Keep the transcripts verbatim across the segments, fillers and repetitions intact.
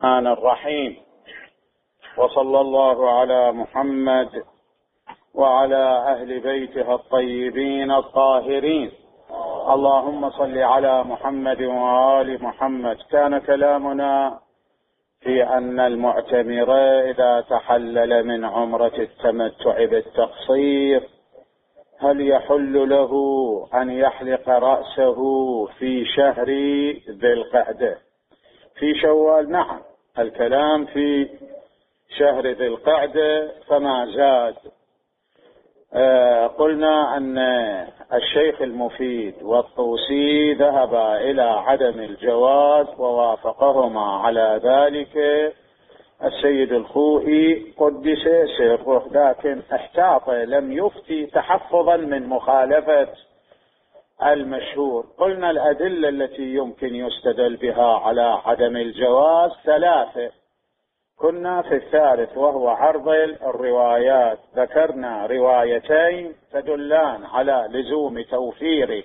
الرحمن الرحيم. وصلى الله على محمد وعلى أهل بيته الطيبين الطاهرين. اللهم صل على محمد وآل محمد. كان كلامنا في أن المعتمر إذا تحلل من عمرة التمتع بالتقصير هل يحل له أن يحلق رأسه في شهر ذي القعدة؟ في شوال نعم، الكلام في شهر ذي القعدة فما زاد. آه قلنا أن الشيخ المفيد والطوسي ذهبا إلى عدم الجواز ووافقهما على ذلك السيد الخوئي قدس سره، لكن احتاط لم يفتي تحفظا من مخالفة المشهور. قلنا الأدلة التي يمكن يستدل بها على عدم الجواز ثلاثة، كنا في الثالث وهو عرض الروايات. ذكرنا روايتين تدلان على لزوم توفير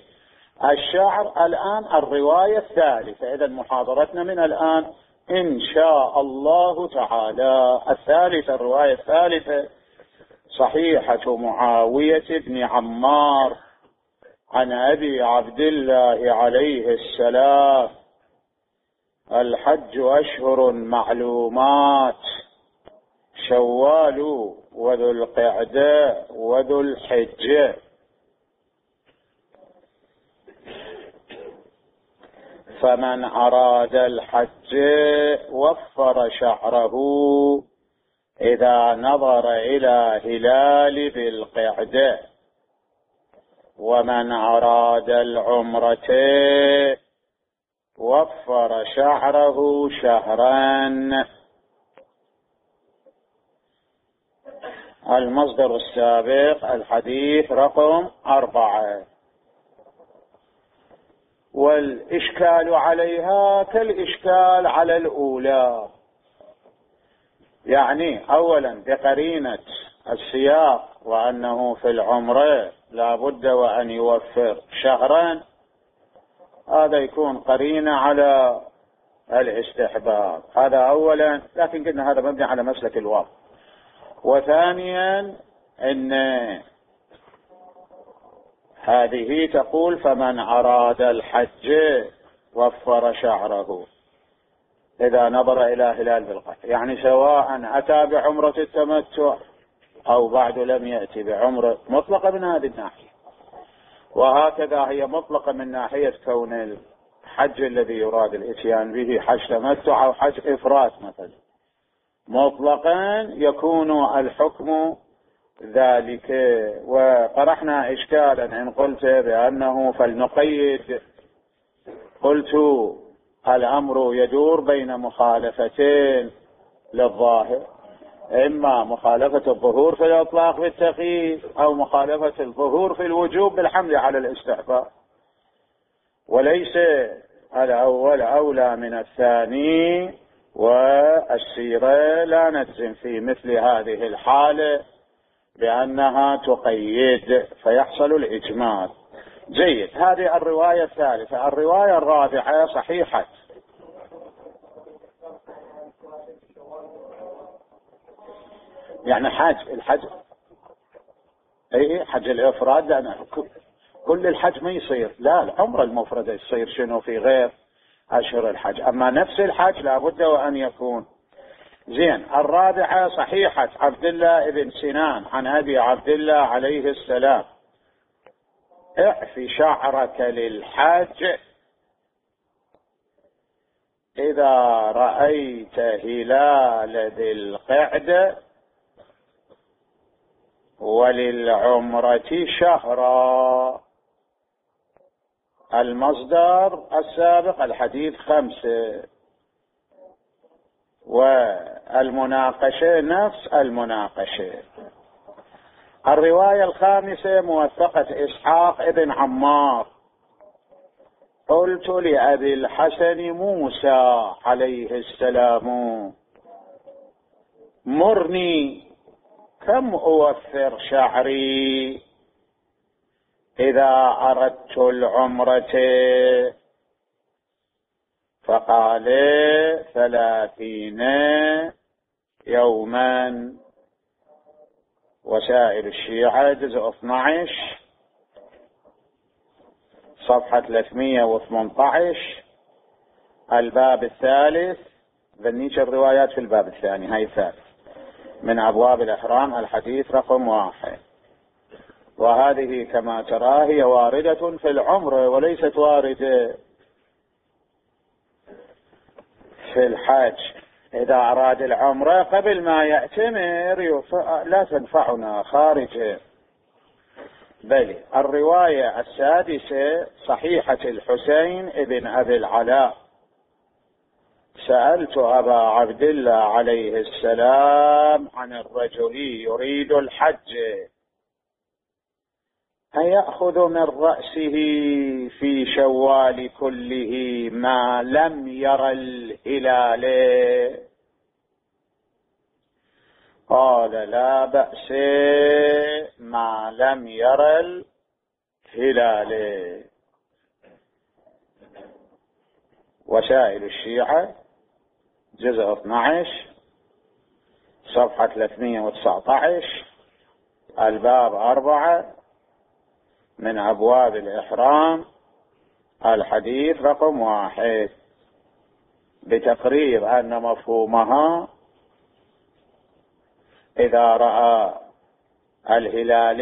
الشعر، الآن الرواية الثالثة. إذا محاضرتنا من الآن إن شاء الله تعالى الثالثة، الرواية الثالثة صحيحة معاوية بن عمار عن أبي عبد الله عليه السلام: الحج أشهر معلومات، شوال وذو القعدة وذو الحجة. فمن أراد الحج وفر شعره إذا نظر إلى هلال ذي القعدة، ومن أراد العمرة وفر شعره شهرا. المصدر السابق الحديث رقم أربعة. والإشكال عليها كالإشكال على الأولى، يعني أولا بقرينة السياق وأنه في العمرة لا بد وأن يوفر شهرا، هذا يكون قرينة على الاستحباب، هذا أولا. لكن قلنا هذا مبني على مسلك الواقع. وثانيا أن هذه تقول فمن أراد الحج وفر شعره إذا نظر إلى هلال ذي القعدة، يعني سواء أتى بعمرة التمتع أو بعد لم يأتي بعمرة، مطلقة من هذه الناحية. وهكذا هي مطلقة من ناحية كون الحج الذي يراد الاتيان به حج تمتع أو حج إفراد مثلا، مطلقا يكون الحكم ذلك. وطرحنا إشكالا إن قلت بأنه فلنقيد، قلت الأمر يدور بين مخالفتين للظاهر، إما مخالفة الظهور في الإطلاق بالتقييد أو مخالفة الظهور في الوجوب بالحمل على الاستحباب، وليس الأول أولى من الثاني. والسيرة لا نجزم في مثل هذه الحالة بأنها تقيد فيحصل الإجمال. جيد، هذه الرواية الثالثة. الرواية الرابعة صحيحة يعني حج الحج اي حج الافراد، لان كل الحج ما يصير، لا العمره المفرده يصير شنو في غير اشهر الحج، اما نفس الحج لابد وان يكون. زين، الرابعه صحيحه عبد الله بن سنان عن ابي عبد الله عليه السلام: اعف شعرك للحج اذا رايت هلال ذي القعده وللعمرة شهرا. المصدر السابق الحديث خمسة، والمناقشة نفس المناقشة. الرواية الخامسة موثقة إسحاق ابن عمار: قلت لأبي الحسن موسى عليه السلام: مرني كم أوفر شعري إذا أردت العمرة؟ فقال ثلاثين يوما. وسائل الشيعة جزء اثني عشر صفحة ثلاثمئة وثمانية عشر الباب الثالث. ذنيش الروايات في الباب الثاني، هاي الثالث من أبواب الإحرام، الحديث رقم واحد. وهذه كما ترى هي واردة في العمرة وليست واردة في الحج. إذا أراد العمرة قبل ما يأتمر لا تنفعنا خارجه. بل الرواية السادسة صحيحة الحسين ابن أبي العلاء: سألت أبا عبد الله عليه السلام عن الرجل يريد الحج أيأخذ من رأسه في شوال كله ما لم ير الهلال؟ قال: لا بأس ما لم ير الهلال. وسائل الشيعة جزء اثني عشر صفحة ثلاثمئة وتسعة عشر الباب أربعة من أبواب الإحرام، الحديث رقم واحد، بتقرير أن مفهومها إذا رأى الهلال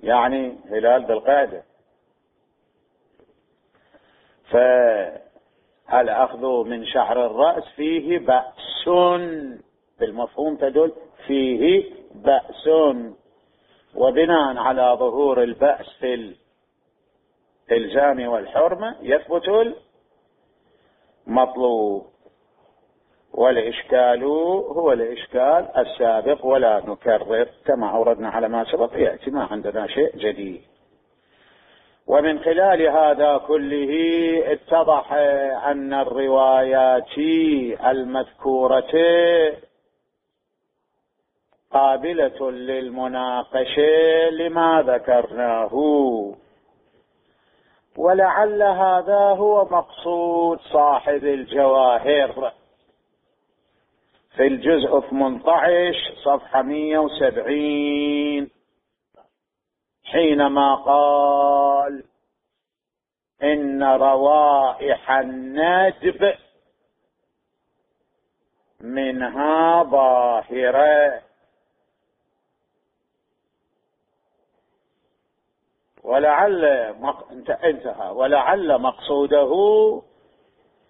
يعني هلال ذي القعدة، فالأخذ من شعر الرأس فيه بأس، بالمفهوم تدل فيه بأس. وبناء على ظهور البأس في الإلزام والحرمة يثبت المطلوب. والإشكال هو الإشكال السابق ولا نكرر، كما أوردنا على ما سبق يأتي، ما عندنا شيء جديد. ومن خلال هذا كله اتضح أن الروايات المذكورة قابلة للمناقشة لما ذكرناه، ولعل هذا هو مقصود صاحب الجواهر في الجزء ثمانية عشر صفحة مئة وسبعين حينما قال: إن روائح الندب منها ظاهرة. ولعل مق... انتهى ولعل مقصوده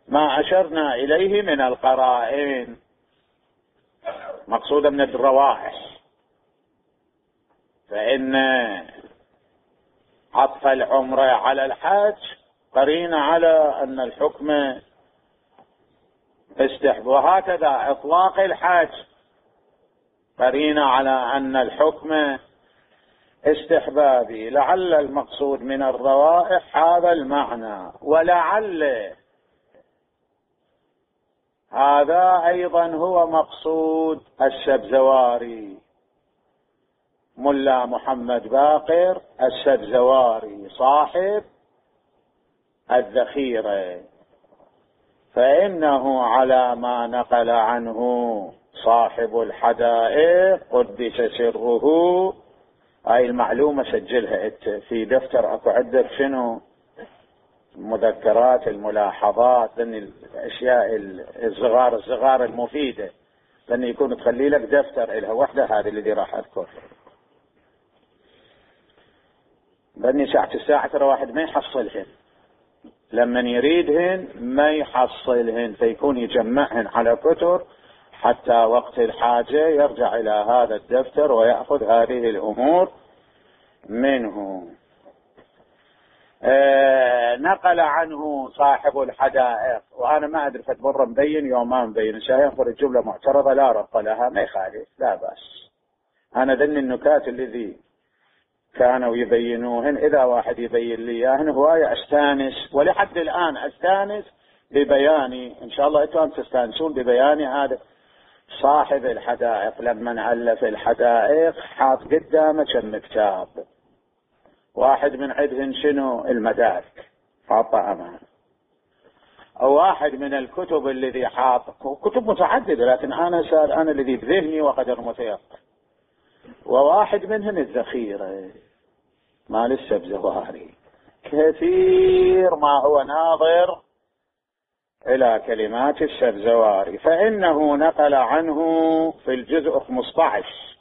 ما أشرنا إليه من القرائن، مقصودا من الروائح، فإن عطف العمرة على الحج قرين على أن الحكم استحب، وهكذا إطلاق الحج قرين على أن الحكم استحبابي. لعل المقصود من الروائح هذا المعنى، ولعل هذا أيضا هو مقصود السبزواري، ملا محمد باقر السبزواري صاحب الذخيرة، فإنه على ما نقل عنه صاحب الحدائق قدس سره. هاي المعلومة سجلها انت في دفتر، اكو عندك شنو المذكرات الملاحظات، لان الاشياء الصغار الصغار المفيدة لان يكون تخلي لك دفتر إلها وحدة، هذه اللي راح اذكر. لاني ساعة الساعة ترى واحد ما يحصلهن، لما يريدهن ما يحصلهن، فيكون يجمعهن على كتر حتى وقت الحاجة يرجع إلى هذا الدفتر ويأخذ هذه الأمور منه. آه نقل عنه صاحب الحدائق، وأنا ما أدري فتمر مبين يوم ما مبين، سينظر الجملة معترضة لا ربط لها، ما يخالف لا بأس. أنا ذن النكات الذي كانوا يبينوهن إذا واحد يبين لي إياهن هواية أستانس، ولحد الآن أستانس ببياني، إن شاء الله أنتم تستانسون ببياني. هذا صاحب الحدائق لما ألف الحدائق حاط قدامه كم كتاب، واحد من عندهن شنو المدارك حاطه أمامه، أو واحد من الكتب الذي حاط كتب متعددة، لكن أنا سأل أنا الذي بذهني وقدر متيقن، وواحد منهم الذخيرة مال السبزواري، كثير ما هو ناظر إلى كلمات السبزواري، فإنه نقل عنه في الجزء خمسة عشر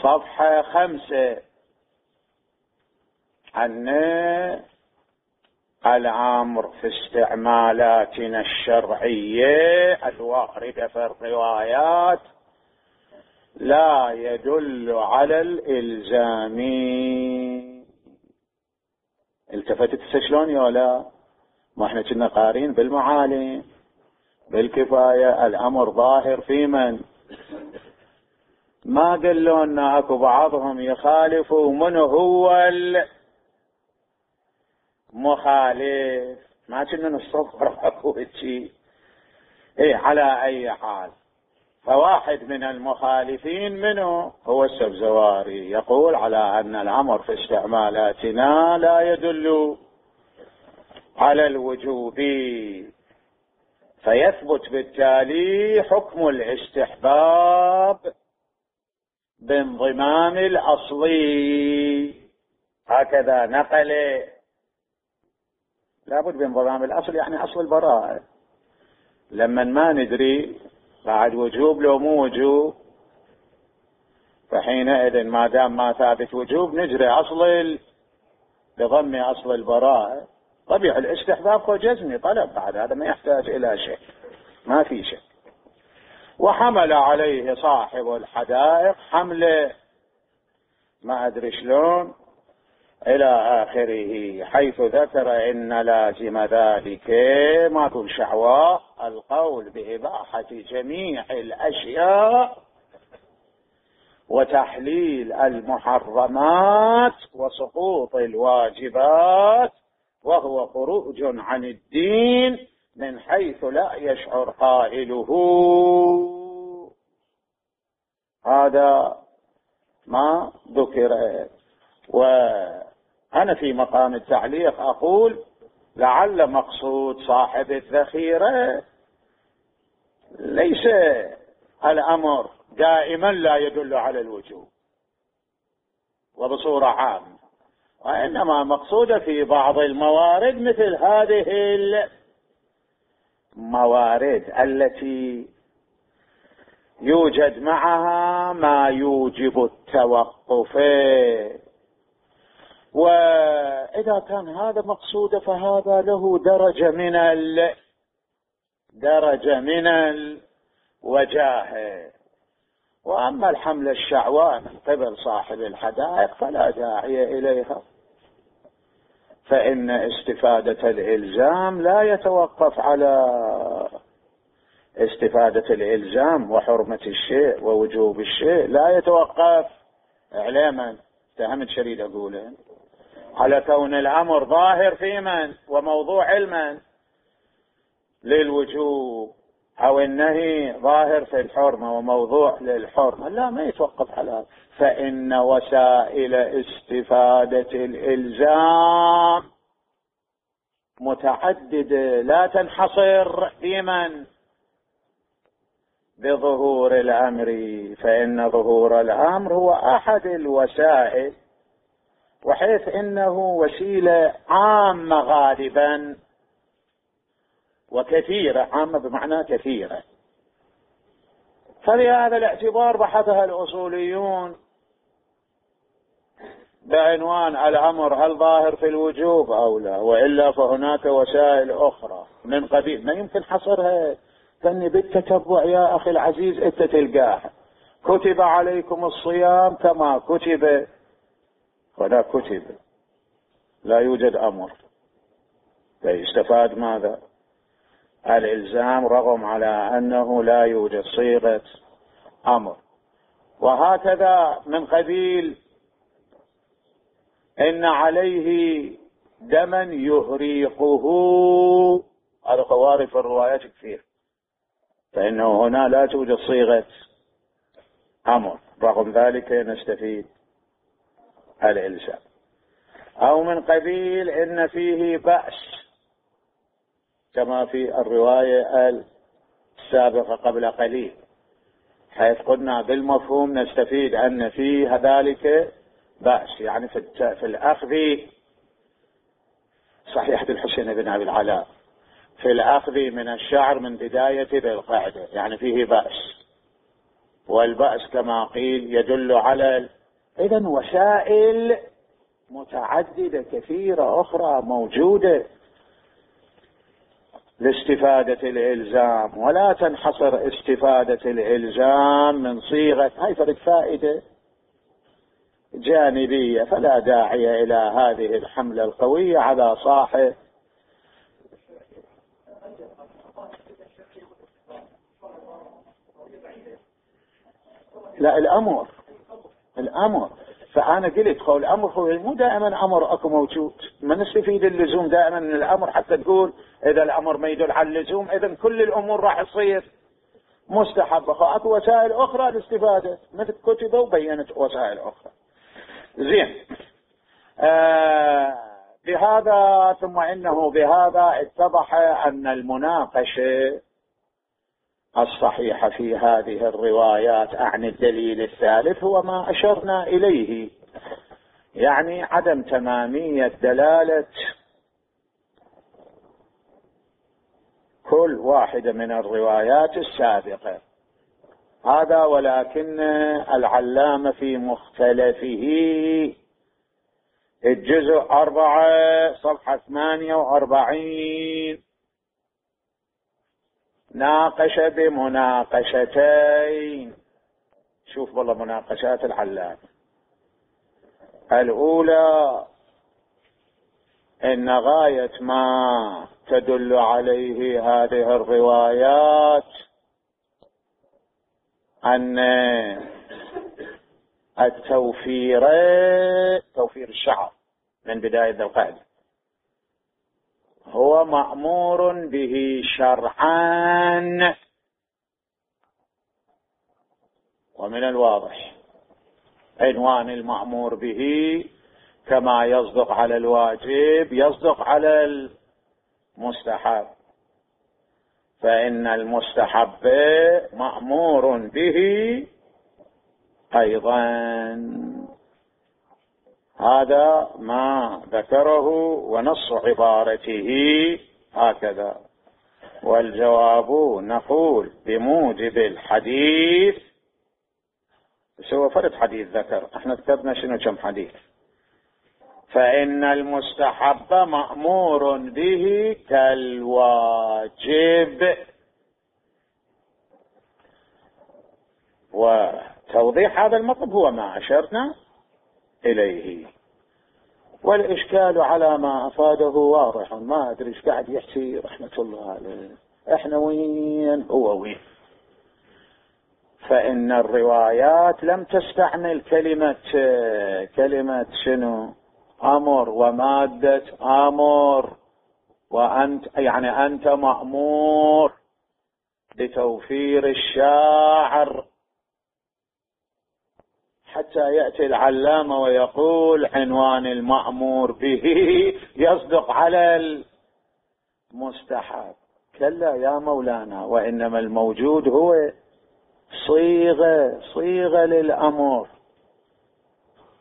صفحة خمسة أن الأمر في استعمالاتنا الشرعية الواردة في الروايات لا يدل على الإلزام. التفتت شلون يا لا؟ ما احنا كنا قارين بالمعالم بالكفاية الأمر ظاهر في من ما قالوا أن أكو بعضهم يخالفوا من هو المخالف، ما كنا نصفر أكو شيء. إيه على أي حال، فواحد من المخالفين منه هو السبزواري يقول على أن الأمر في استعمالاتنا لا يدل على الوجوب، فيثبت بالتالي حكم الاستحباب بانضمام الأصلي. هكذا نقل، لابد بانضمام الأصل يعني أصل البراءة، لما ما ندري بعد وجوب لو مو وجوب، فحينئذ ما دام ما ثابت وجوب نجري أصل بضم أصل البراءة. طبيعي الاستحباب هو جزمي طلب، بعد هذا ما يحتاج إلى شيء، ما في شيء. وحمل عليه صاحب الحدائق حمله ما أدري شلون إلى آخره، حيث ذكر إن لازم ذلك ما تقول شعواء القول بإباحة جميع الأشياء وتحليل المحرمات وسقوط الواجبات، وهو خروج عن الدين من حيث لا يشعر قائله. هذا ما ذكر. وأنا في مقام التعليق أقول لعل مقصود صاحب الذخيرة ليس الأمر دائما لا يدل على الوجوب وبصورة عامة، وإنما مقصود في بعض الموارد مثل هذه الموارد التي يوجد معها ما يوجب التوقف، وإذا كان هذا مقصود فهذا له درجة من ال درجة من الوجاهة. وأما الحملة الشعواء من قبل صاحب الحدائق فلا داعي إليها، فإن استفادة الإلزام لا يتوقف على استفادة الإلزام، وحرمة الشيء ووجوب الشيء لا يتوقف إعلاما فهمت شريد أقوله على كون الأمر ظاهر في من وموضوع علما للوجوب، أو النهي ظاهر في الحرمة وموضوع للحرمة، لا ما يتوقف على. فإن وسائل استفادة الإلزام متعددة لا تنحصر في من بظهور الأمر، فإن ظهور الأمر هو أحد الوسائل، وحيث إنه وسيلة عامة غالبا وكثيرة، عامة بمعنى كثيرة، فلهذا الاعتبار بحثها الأصوليون بعنوان الأمر هل ظاهر في الوجوب أو لا، وإلا فهناك وسائل أخرى من قبيل ما يمكن حصرها. فاني بالتتبع يا أخي العزيز انت تلقاها، كتب عليكم الصيام كما كتب ولا كتب، لا يوجد أمر، فيستفاد ماذا؟ الإلزام رغم على أنه لا يوجد صيغة أمر. وهكذا من قبيل إن عليه دما يهريقه، هذا خوارج في الروايات كثير، فإنه هنا لا توجد صيغة أمر، رغم ذلك نستفيد الإلزام. أو من قبيل إن فيه بأس كما في الرواية السابقة قبل قليل، حيث قلنا بالمفهوم نستفيد أن فيه ذلك بأس، يعني في الأخذ صحيحة الحسين بن أبي العلاء في الأخذ من الشعر من بداية ذي القعدة، يعني فيه بأس، والبأس كما قيل يدل على إذن وسائل متعددة كثيرة أخرى موجودة لاستفادة الإلزام، ولا تنحصر استفادة الإلزام من صيغة هاي فرد فائدة جانبية، فلا داعي إلى هذه الحملة القوية على صاحب. لا الأمر الأمر فأنا قلت هو الأمر هو مو دائما أمر أكو موجود، ما نستفيد اللزوم دائما من الأمر حتى تقول إذا الأمر ما يدل على اللزوم إذن كل الأمور راح تصير مستحبة. أكو وسائل أخرى للاستفادة مثل كتبة وبينت وسائل أخرى. زين آه بهذا ثم إنه بهذا اتضح أن المناقشة الصحيحة في هذه الروايات عن الدليل الثالث هو ما أشرنا إليه، يعني عدم تمامية دلالة كل واحدة من الروايات السابقة هذا، ولكن العلامة في مختلفه الجزء أربعة صفحة ثمانية وأربعين ناقش بمناقشتين. شوف والله مناقشات العلامة. الأولى إن غاية ما تدل عليه هذه الروايات أن التوفير توفير الشعر من بداية ذي القعدة هو مأمور به شرعا، ومن الواضح عنوان المأمور به كما يصدق على الواجب يصدق على المستحب، فإن المستحب مأمور به أيضا. هذا ما ذكره ونص عبارته هكذا. والجواب نقول بموجب الحديث، سوى فرد حديث ذكر، احنا ذكرنا شنو كم حديث، فإن المستحب مأمور به كالواجب. وتوضيح هذا المطلب هو ما أشرنا إليه، والإشكال على ما أفاده واضح، ما أدري إيش قاعد يحكي رحمة الله عليه، إحنا وين هو وين. فإن الروايات لم تستعمل كلمة كلمة شنو أمر ومادة أمر، وأنت يعني أنت مأمور بتوفير الشاعر، حتى يأتي العلامة ويقول عنوان المأمور به يصدق على المستحب. كلا يا مولانا، وإنما الموجود هو صيغة صيغة للأمر،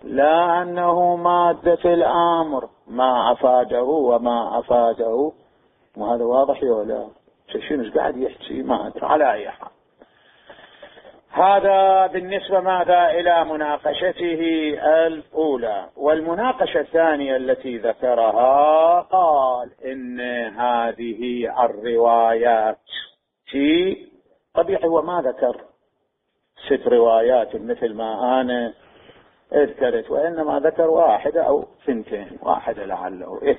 لا أنه مادة الأمر ما أفاده وما أفاده. وهذا واضح ولا شنو ايش قاعد يحكي ما أدري. على أي حال هذا بالنسبة ماذا إلى مناقشته الأولى. والمناقشة الثانية التي ذكرها قال إن هذه الروايات في طبيعي وما ذكر ست روايات مثل ما أنا اذكرت، وإنما ذكر واحدة أو ثنتين، واحدة لعله إيه.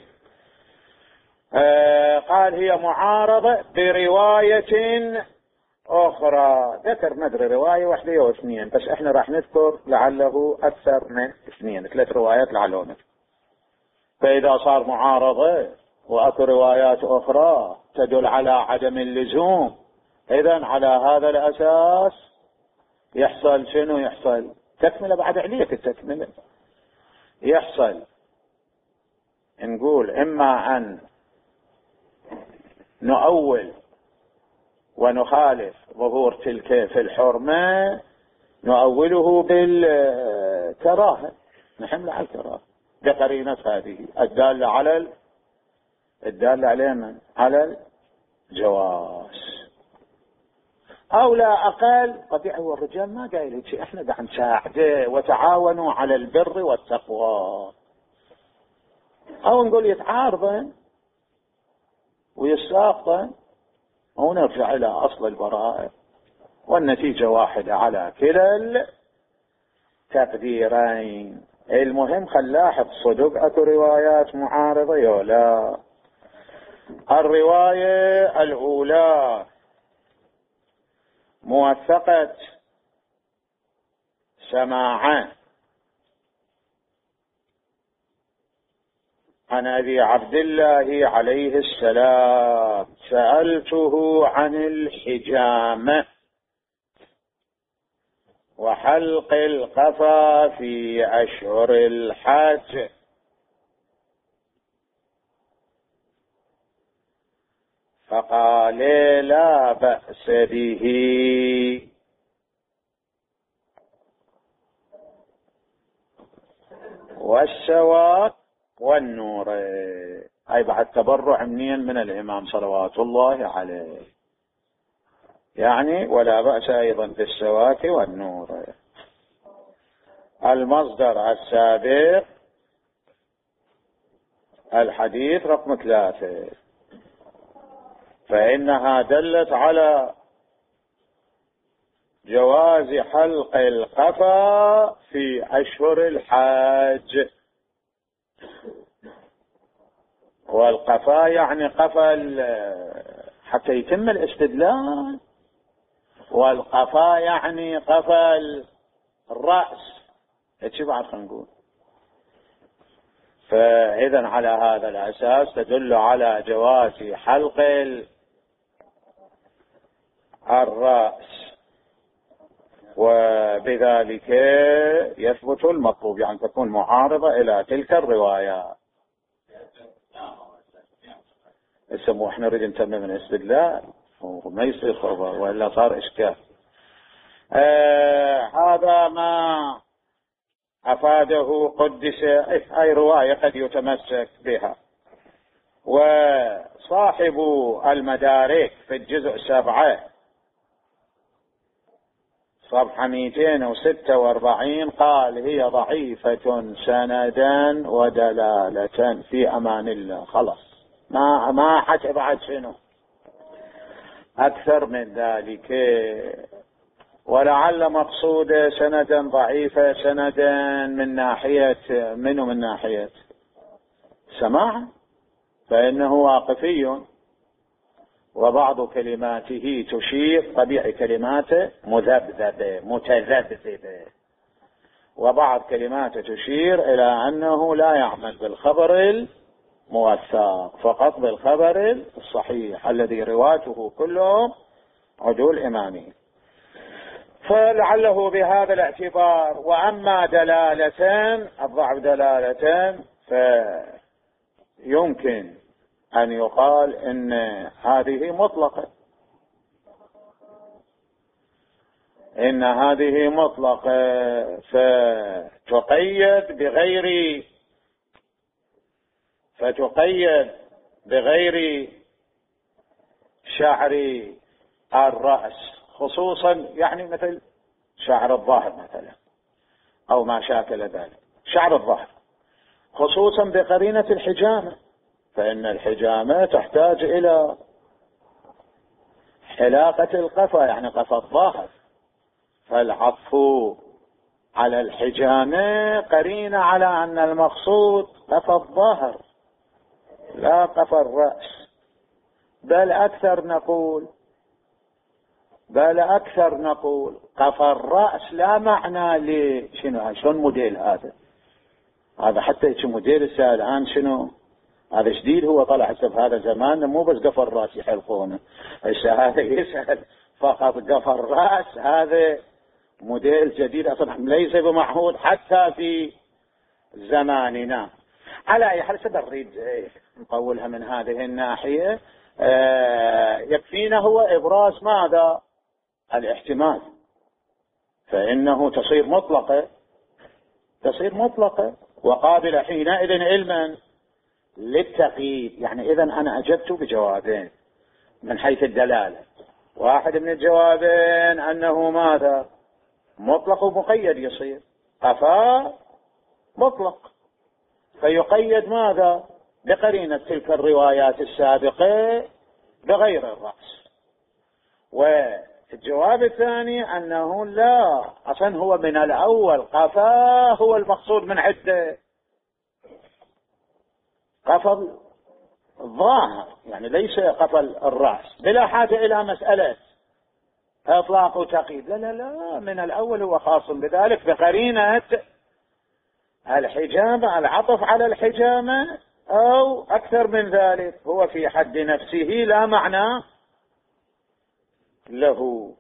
آه قال هي معارضة برواية أخرى، ذكر ندري رواية واحدة أو اثنين، بس احنا راح نذكر لعله أكثر من اثنين، ثلاث روايات لعله نذكر. فإذا صار معارضة وأكو روايات أخرى تدل على عدم اللزوم، إذن على هذا الأساس يحصل شنو؟ يحصل تكملة بعد علية التكملة، يحصل نقول إما أن نؤول ونخالف ظهور تلك في الحرمة نؤوله بالكراهة، نحمل على الكراهة بقرينة هذه الدالة على الدالة على من؟ على الجواز. أو لا أقل طبيعي هو الرجال ما قايل شيء، احنا قاعد نساعده وتعاونوا على البر والتقوى، أو نقول يتعارضن ويساقطن ونرجع إلى أصل البراءة، والنتيجة واحدة على كلا التقديرين. المهم خلاحظ صدق أكو روايات معارضة يولا. الرواية الأولى موثقة سماعا عن أبي عبد الله عليه السلام: سألته عن الحجامة وحلق القفا في أشهر الحج، فقال لا بأس به. والسواك والنور، أي بعد تبرع منين؟ من الإمام صلوات الله عليه، يعني ولا بأس أيضا بالسواك والنور. المصدر السابق الحديث رقم ثلاثة، فإنها دلت على جواز حلق القفا في أشهر الحج. والقفا يعني قفا حتى يتم الاستدلال، والقفا يعني قفا الرأس، ايش بعد خلينا نقول. فإذا على هذا الأساس تدل على جواز حلق الرأس، وبذلك يثبت المطلوب، يعني تكون معارضة إلى تلك الروايات. اسمه احنا نريد نتمم من الاستدلال وما يصير خبر وإلا صار إشكال. آه هذا ما أفاده قدس أي رواية قد يتمسك بها. وصاحب المدارك في الجزء سبعة صفحة مئتين وستة وأربعين قال: هي ضعيفة سندا ودلالة في أمان الله. خلاص ما ما حتى بعد شنو أكثر من ذلك. ولعل مقصود سندا ضعيفة سندا من ناحية منه من ناحية سماع، فإنه واقفي وبعض كلماته تشير، طبيعي كلماته مذبذبة متذبذبة، وبعض كلماته تشير إلى أنه لا يعمل بالخبر الموثق، فقط بالخبر الصحيح الذي رواته كلهم عدول إمامي، فلعله بهذا الاعتبار. وأما دلالة الضعف دلالة فيمكن أن يقال إن هذه مطلقة، إن هذه مطلقة فتقيد بغير فتقيد بغير شعر الرأس، خصوصا يعني مثل شعر الظهر مثلا أو ما شاكل ذلك، شعر الظهر خصوصا بقرينة الحجامة، فإن الحجامة تحتاج إلى حلاقة القفا يعني قفا الظهر، فالعطف على الحجامة قرينة على أن المقصود قفا الظهر لا قفا الرأس. بل أكثر نقول بل أكثر نقول قفا الرأس لا معنى لشنو شلون موديل هذا هذا حتى يجي موديل السائل الآن شنو هذا جديد، هو طلع حسب هذا زمان مو بس قفا الرأس يحلقونه، هذا يسأل فقط قفا الرأس، هذا موديل جديد أصلا ليس بمعهود حتى في زماننا. على أي حال سنريد نطولها من هذه الناحية. آه يكفينا هو إبراز ماذا؟ الاحتمال، فإنه تصير مطلقة، تصير مطلقة وقابلة حينئذ علما للتقييد. يعني إذن أنا أجبت بجوابين من حيث الدلالة. واحد من الجوابين أنه ماذا؟ مطلق ومقيد يصير. قفا مطلق فيقيد ماذا؟ بقرينة تلك الروايات السابقة بغير الرأس. والجواب الثاني أنه لا، أصلا هو من الأول قفا هو المقصود من عدة، قفا الظاهر يعني ليس قفا الرأس، بلا حاجة إلى مسألة إطلاق وتقييد. لا لا لا، من الأول هو خاص بذلك بقرينة الحجامة، العطف على الحجامة، أو أكثر من ذلك هو في حد نفسه لا معنى له.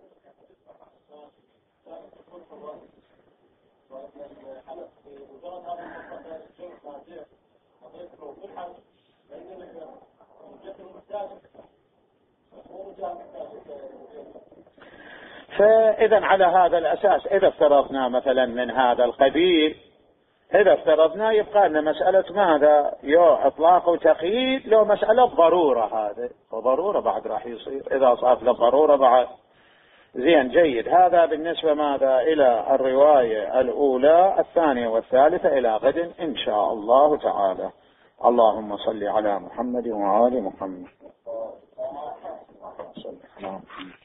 فإذا على هذا الأساس إذا افترضنا مثلا من هذا القبيل، إذا افترضنا يبقى لنا مسألة ماذا؟ يو إطلاق وتقييد، لو مسألة ضرورة، هذا وضرورة بعد راح يصير إذا صارت للضرورة بعد. زين جيد. هذا بالنسبة ماذا؟ إلى الرواية الأولى. الثانية والثالثة إلى غد إن شاء الله تعالى. اللهم صل على محمد وآل محمد. صل على محمد.